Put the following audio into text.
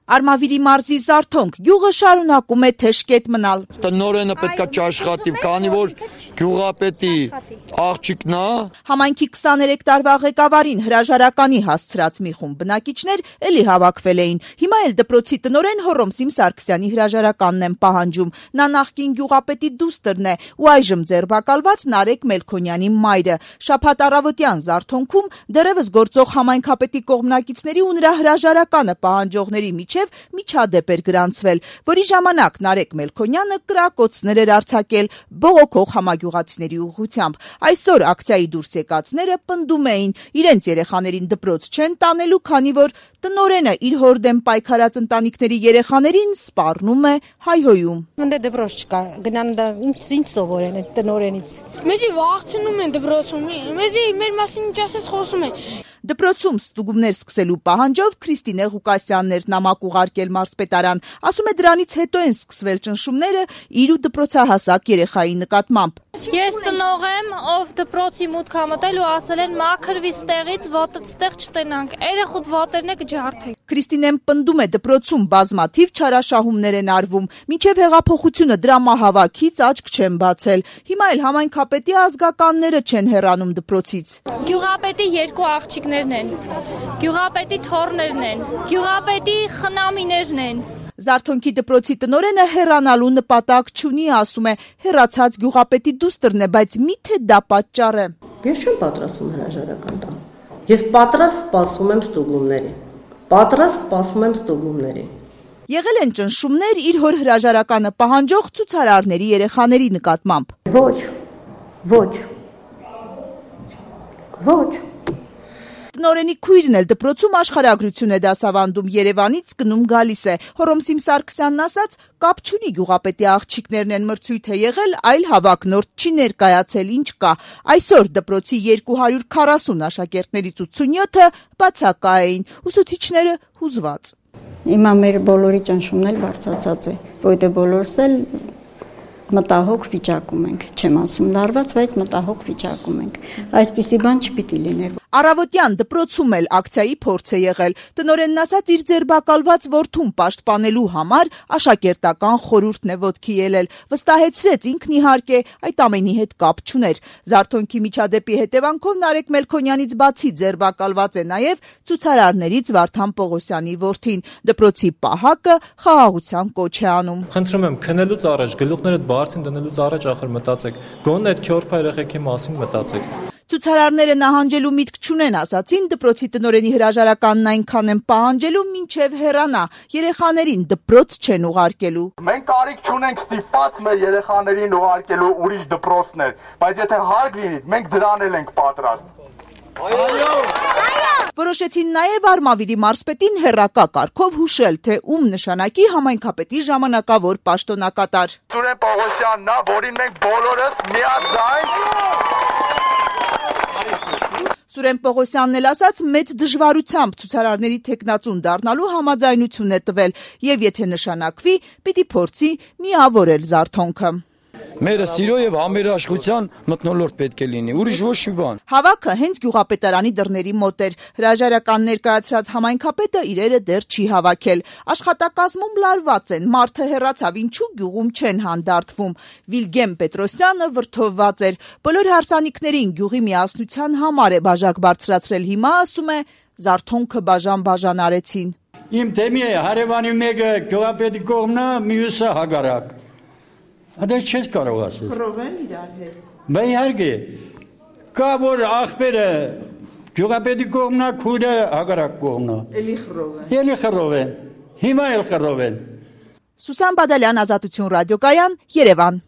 Արմավիրի մարզի Զարթոնք գյուղը շարունակում է թեժկետ մնալ։ Տնօրենը պետք է աշխատի, քանի որ գյուղապետի աղջիկն է։ Համայնքի 23 տարվա ղեկավարին հրաժարականի հասցրած մի խումբ բնակիչներ էլի հավաքվել էին։ Հիմա էլ դպրոցի տնօրեն Հոռոմսիմ Սարգսյանի հրաժարականն են պահանջում։ Նա նախկին գյուղապետի դուստրն է ու այժմ ձերբակալված Նարեկ Մելքոնյանի մայրը։ Շաբաթ առավոտյան Զարթոնքում դեռևս գործող համայնքապետի կողմնակիցների ու նրա հրաժարականը պահանջողների միջև միջադեպ էր գրանցվել, որի ժամանակ Նարեկ Մելքոնյանը կրակոցներ էր արձակել բողոքող համագյուղացիների ուղղությամբ։ Այսօր ակցիայի դուրս եկածները պնդում էին, իրենց երեխաներին դպրոց չեն տանելու, քանի որ տնօրենը իր հոր դեմ պայքարած ընտանիքների երեխաներին սպառնում է, հայհոյում։ Ընդ դպրոց չկա, գնան ինչ սովորեն այդ տնօրենից։ Մեզի վախցնում են դպրոցում, մեզի մեր մասին ինչ ասես խոսում են։ Դպրոցում ստուգումներ սկսելու պահանջով Քրիստինե Ղուկասյանն էր նամակ ուղարկել մարզպետարան։ Ասում է դրանից հետո են սկսվել ճնշումները իր ու դպրոցահասակ երեխայի նկատմամբ։ Ես ծնող եմ, ով դպրոցի մուտք համտել ու ասել են մաքրվի ստեղից, ոտդ ստեղ չտենանք, երեխուդ ոտերն է կջարդեք։ Քրիստինեն պնդում է դպրոցում բազմաթիվ չարաշահումներ են արվում, մինչև հեղափոխությունը դրամահավաքից աչք չեն բացել։ Հիմա էլ համայնքապետի ազգականները չեն հեռանում դպրոցից։ Գյուղապետի երկու աղջիկներն են, գյուղապետի թոռներն են, գյուղապետի խնամիներն են։ Զարթոնքի դպրոցի տնօրենը հեռանալու նպատակ չունի, ասում է, հեռացած գյուղապետի դուստրն է, բայց միթե դա պատճառ է։ Ես չեմ պատրաստվում հրաժարական տալ։ Ես պատրաստ սպասում եմ ստուգումների։ Եղել են ճնշումներ իր հոր հրաժարականը պահանջող ցուցարարների երեխաների նկատմամբ։ Ոչ։ Տնօրենի քույրն էլ դպրոցում աշխարհագրություն է դասավանդում, Երևանից գնում գալիս է։ Հոռոմսիմ Սարգսյանն ասաց, կապ չունի գյուղապետի աղջիկներն են մրցույթ է եղել, այլ հավակնորդ չի ներկայացել, ինչ կա։ Այսօր դպրոցի 240 աշակերտներից 87-ը բացակա էին, ուսուցիչները հուզված։ Հիմա մեր բոլորի ճնշումն էլ բարձրացած է, որտեղ բոլորս էլ մտահոգ վիճակում ենք, չեմ ասում լարված, բայց մտահոգ վիճակում ենք։ Այսպիսի բան չպիտի լիներ։ Առավոտյան դպրոցում էլ ակցիայի փորձ է եղել։ Տնօրենն ասաց, իր ձերբակալված որդուն պաշտպանելու համար աշակերտական խորհուրդն է ոտքի ելել։ Վստահեցրեց ինքն իհարկե այդ ամենի հետ կապ չուներ։ Զարթոնքի միջադեպի հետևանքով Նարեկ Մելքոնյանից բացի ձերբակալված է նաև ցուցարարներից Վարդան Պողոսյանի որդին։ Դպրոցի պահակը խաղաղության կոչ է անում։ Խնդրում եմ, քնելուց առաջ գլուխներդ բարձին դնելուց առաջ ախր մտածեք։ Գոնե այդ քյորփա երեխեքի մասին մտածեք։ Ցուցարարները նահանջելու միտք չունեն, ասացին, դպրոցի տնօրենի հրաժարականն այնքան են պահանջելու, մինչև հեռանա, երեխաներին դպրոց չեն ուղարկելու։ Մենք կարիք չունենք ստիպված մեր երեխաներին ուղարկելու ուրիշ դպրոցներ, բայց եթե հարկ լինի, մենք դրան էլ ենք պատրաստ։ Որոշեցին նաև Արմավիրի մարզպետին հեռակա կարգով հուշել, թե ում նշանակի համայնքապետի ժամանակավոր պաշտոնակատար։ Սուրեն Պողոսյանն է, որին մենք բոլորս միաձայն Սուրեն Պողոսյանն էլ ասաց, մեծ դժվարությամբ ցուցարարների թեկնածուն դառնալու համաձայնություն է տվել եւ եթե նշանակվի, պիտի փորձի միավորել Զարթոնքը։ Մերը սիրո եւ համերաշխության մթնոլորտ պետք է լինի, ուրիշ ոչ մի բան։ Հավաքը հենց գյուղապետարանի դռների մոտ էր։ Հրաժարական ներկայացրած համայնքապետը իրերը դեռ չի հավաքել։ Աշխատակազմում լարված են, մարդը հեռացավ, ինչու գյուղում չեն հանդարտվում։ Վիլգեմ Պետրոսյանը վրդովված էր։ Բոլոր հարսանիքներին գյուղի միասնության համար է բաժակ բարձրացրել, հիմա ասում է Զարթոնքը բաժան արեցին։ Իմ թեմի է հարևանի մեկը գյուղապետի կողմն է, մյուսը հագարակ։ Հədə չես կարող ասել։ Խռովեն իրար հետ։ Բա իհարկե, կա որ աղբերը գյուղապետի կողմն է, քույրը հագարակ կողմն է։ Էլի խռովեն։ Հիմա էլ խռովեն։ Սուսան Բադալյան, Ազատություն ռադիոկայան, Երևան։